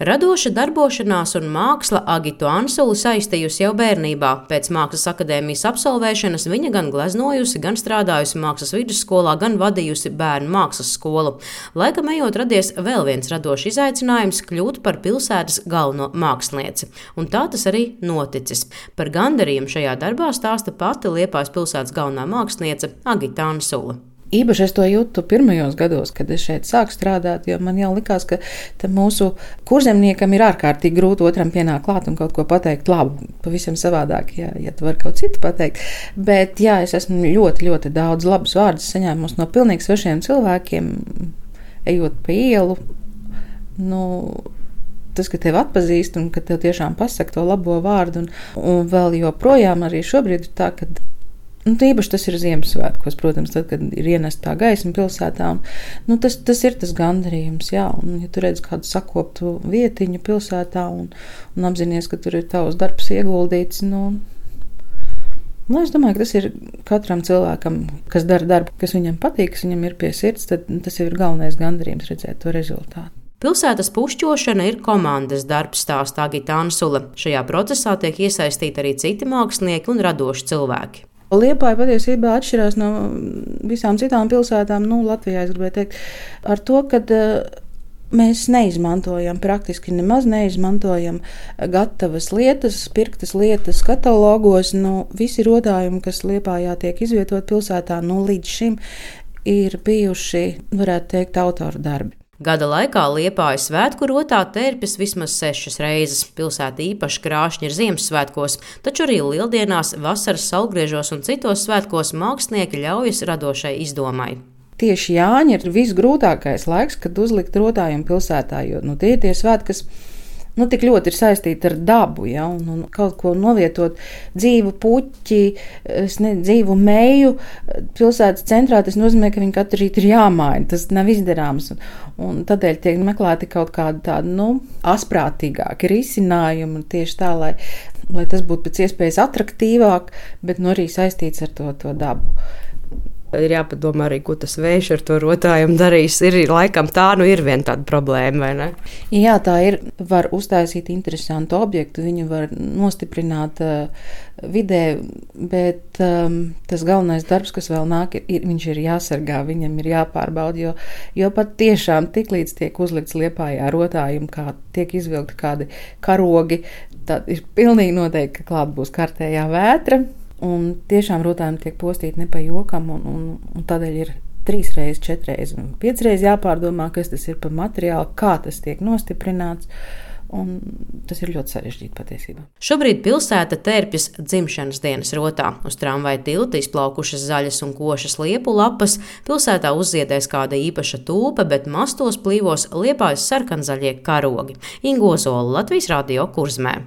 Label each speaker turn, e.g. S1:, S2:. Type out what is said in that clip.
S1: Radoša darbošanās un māksla Agitu Ansuli saistījusi jau bērnībā. Pēc Mākslas akadēmijas absolvēšanas viņa gan gleznojusi, gan strādājusi mākslas vidusskolā, gan vadījusi bērnu mākslas skolu. Laikam ejot radies vēl viens radošs izaicinājums – kļūt par pilsētas galveno mākslinieci. Un tā tas arī noticis. Par gandarījumu šajā darbā stāsta pati Liepājas pilsētas galvenā māksliniece Agita Ansule.
S2: Īpaši es to jūtu pirmajos gados, kad es šeit sāku strādāt, jo man jau likās, ka mūsu kurzemniekam ir ārkārtīgi grūti otram pienākt klāt un kaut ko pateikt labu. Pavisam savādāk, ja tu vari kaut citu pateikt. Bet jā, es esmu ļoti, ļoti daudz labus vārdus saņēmusi no pilnīgi svešiem cilvēkiem, ejot pa ielu. Tas, ka tevi atpazīst un ka tev tiešām pasaka to labo vārdu. Un vēl joprojām arī šobrīd ir tā, ka īpaši tas ir Ziemassvētkos, protams, tad, kad ir ienesta tā gaisma pilsētā. Tas ir tas gandarījums, jā. Un, ja tu redz kādu sakoptu vietiņu pilsētā un apzinies, ka tur ir tavs darbs ieguldīts, es domāju, ka tas ir katram cilvēkam, kas dara darbu, kas viņam patīk, kas viņam ir pie sirds, tad tas jau ir galvenais gandarījums redzēt to rezultātu.
S1: Pilsētas pušķošana ir komandas darbs, stāsta Agita Ansule. Šajā procesā tiek iesaistīti arī citi mākslinieki un radoši cilvēki.
S2: Liepāja patiesībā atšķirās no visām citām pilsētām, Latvijā, es gribēju teikt, ar to, ka mēs neizmantojam, praktiski nemaz neizmantojam gatavas lietas, pirktas lietas katalogos. Visi rodājumi, kas Liepājā tiek izvietot pilsētā, līdz šim ir bijuši, varētu teikt, autoru darbi.
S1: Gada laikā Liepājas svētku rotā tērpjas vismaz 6 reizes. Pilsēta īpaši krāšņa ir Ziemassvētkos, taču arī lieldienās, vasaras saulgriežos un citos svētkos mākslinieki ļaujas radošai izdomai.
S2: Tieši Jāņa ir visgrūtākais laiks, kad uzlikt rotājumu pilsētā, jo tie ir tie svētki, kas tik ļoti ir saistīti ar dabu, ja, un kaut ko novietot dzīvu puķi, dzīvu meju pilsētas centrā, tas nozīmē, ka viņi katru rītu ir jāmaina, tas nav izdarāms, un tādēļ tiek meklēti kaut kādi tādi, asprātīgāki risinājumi, tieši tā, lai tas būtu pēc iespējas atraktīvāk, bet arī saistīts ar to dabu.
S1: Ir jāpadomā arī, ko tas vējš ar to rotājumu darīs. Ir laikam tā, ir viena tāda problēma, vai ne?
S2: Jā, tā ir. Var uztaisīt interesantu objektu, viņu var nostiprināt vidē, bet tas galvenais darbs, kas vēl nāk, viņš ir jāsargā, viņam ir jāpārbauda, jo pat tiešām tiklīdz tiek uzlikts Liepājā rotājumu, kā tiek izvilkti kādi karogi, tad ir pilnīgi noteikti, ka klāt būs kārtējā vētra. Un tiešām rotājumi tiek postīti ne pa jokam, un tādēļ ir 3 reizes, 4 reizes un 5 reizes jāpārdomā, kas tas ir par materiālu, kā tas tiek nostiprināts, un tas ir ļoti sarežģīti patiesībā.
S1: Šobrīd pilsēta tērpjas dzimšanas dienas rotā. Uz tramvaja tilta izplaukušas zaļas un košas liepu lapas, pilsētā uzziedēs kāda īpaša tūpe, bet mastos plīvos Liepājas sarkanzaļie karogi. Inga Ozola, Latvijas Radio Kurzmē.